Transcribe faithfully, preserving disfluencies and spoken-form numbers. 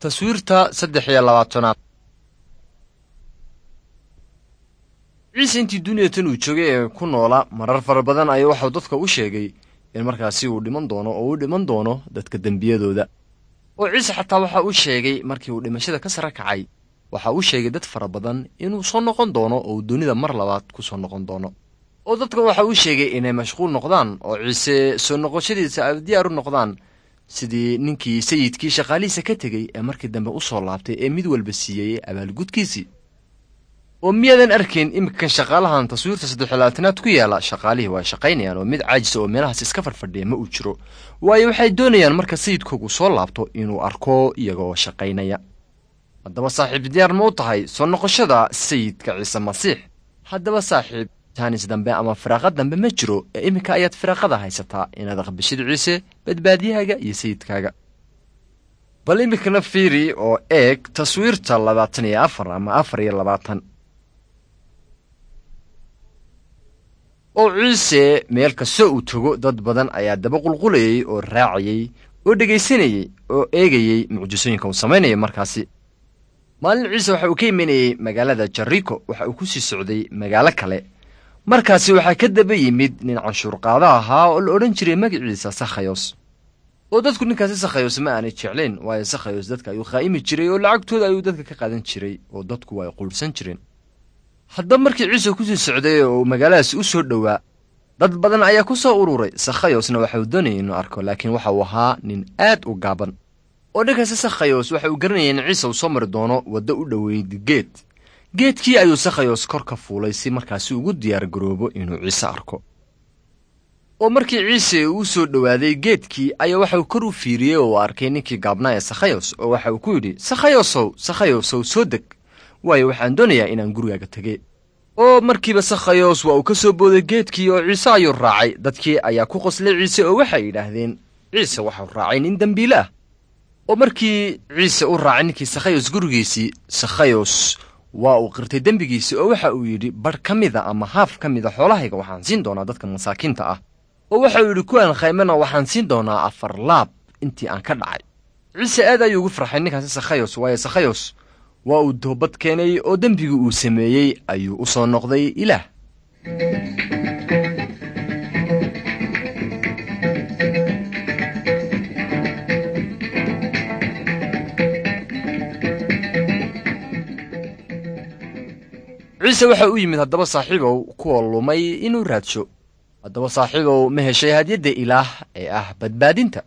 Taswiirta saddex iyo labaatanaad. Ciise intii duniyatan uu joogay ee ku noolaa marar fara badan ayaa waxau dadka u sheegay in markaasi uu dhiman doono oo uu dhiman doono dadka dembiyadooda. Oo Ciise xataa waxa uu sheegay markii uu dhimashada ka sare kacay, waxa uu sheegay dad fara badan inuu soo noqon doono oo uu dunida mar labaad ku soo noqon doono. Oo dadka waxa uu sheegay inay mashquul noqdaan oo Ciise soo noqoshadiisa ay diyaar u noqdaan, sidii ninkii sayidkii shaqaalihiisa ka tegey ee markii dambe u soo laabtay ee mid walba siiyey abaalgudkiisii. Oo miyaadan arkayn iminkan shaqaalahan taswiirta saddexlabaatanaad ku yaala? Shaqaalihii waa shaqaynayaan oo mid caajisa oo meelahaas iska farfadhiya ma uu jiro, waayo waxay doonayaan marka sayidkoogu soo laabto inuu arko iyagoo shaqaynaya. Haddaba saaxiib, diyaar ma u tahay soo noqoshada sayidka Ciise Masiix? Haddaba saaxiib, taanis dambe ama firaaqa dambe ma jiro ee iminka ayaad firaaqada haysataa inaad aqbashid Ciise badbaadiyahaaga iyo sayidkaaga. Bal iminkana fiiri oo eeg taswiirta labaatan iyo afar ama afar iyo labaatan. Oo Ciise meel kasta uu tago dad badan ayaa daba qulqulayey oo raacayey oo dhegaysanayey oo eegayey mucjisooyinka uu samaynaya. Markaasi maalin Ciise waxa uu ka imanayey magaalada Jariko, waxa uu ku sii socday magaalo kale. Markaasi waxaa ka daba yimid nin canshuurqaada ahaa oo la odhan jiray magaciisa Sakhayos. Oo dadku ninkaasi Sakhayos ma aanay jeclayn, waayo Sakhayos dadka ayuu khaa'imi jiray oo lacagtooda ayuu dadka ka qaadan jiray oo dadku waa ay quudhsan jireen. Haddaba markii Ciise kusii socday oo uu magaaladaasi u soo dhowaa, dad badan ayaa ku soo ururay. Sakhayosna waxa uu doonayay inuu arko, laakiin waxa uu ahaa nin aad u gaaban. Oo ninkaasi Sakhayos waxa uu garanayay in Ciise uu soo mari doono waddo u dhoweyd geed. Geedkii ayuu Sakhayos kor ka fuulay si markaasi ugu diyaar garoobo inuu Ciise arko. Oo markii Ciise uu soo dhowaaday geedkii ayaa waxa uu kor u fiiriyey oo uu arkay ninkii gaabnaa ee Sakhayos, oo waxa uu ku yidhi, "Sakhayosow, Sakhayosow, soo deg, waayo waxaan doonayaa inaan gurigaaga tegey." Oo markiiba Sakhayos waa uu ka soo booday geedkii oo Ciise ayuu raacay. Dadkii ayaa ku qoslay Ciise oo waxay yidhaahdeen, "Ciise waxau raacay nin dembiile ah." Oo markii Ciise u raacay ninkii Sakhayos gurigiisii, Sakhayos waa uu qirtay dembigiisii oo waxa uu yidhi, "Badh ka mida ama haaf ka mida xoolahayga waxaan siin doonaa dadka masaakiinta ah." Oo waxa uu yidhi, "Kuwaan khaymana waxaan siin doonaa afar laab intii aan ka dhacay." Ciise aad ayuu ugu farxay ninkaasi Sakhayos, waayo Sakhayos waa uu toobad keenay oo dembigii uu sameeyey ayuu u soo noqday Ilaah. Ciise waxa u yimid haddaba saaxiibow kuwa lumay inuu raadsho. Haddaba saaxiibow, ma heshay hadyadda Ilaah ee ah badbaadinta?